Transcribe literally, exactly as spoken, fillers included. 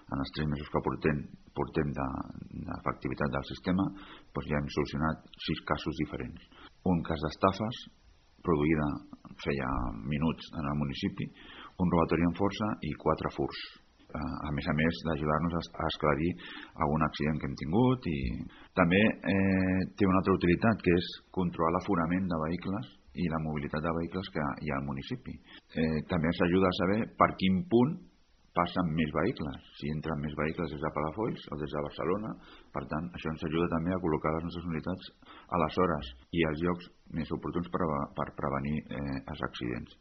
en els tres mesos que portem, portem d'efectivitat del sistema, doncs ja hem solucionat sis casos diferents. Un cas d'estafes, produïda feia minuts en el municipi, un robatori amb força i quatre furs. A més a més d'ajudar-nos a esclarir algun accident que hem tingut. I també eh, té una altra utilitat, que és controlar l'aforament de vehicles i la mobilitat de vehicles que hi ha al municipi. Eh, també ens ajuda a saber per quin punt passen més vehicles, si entren més vehicles des de Palafolls o des de Barcelona. Per tant, això ens ajuda també a col·locar les nostres unitats a les hores i als llocs més oportuns per, per prevenir eh, els accidents.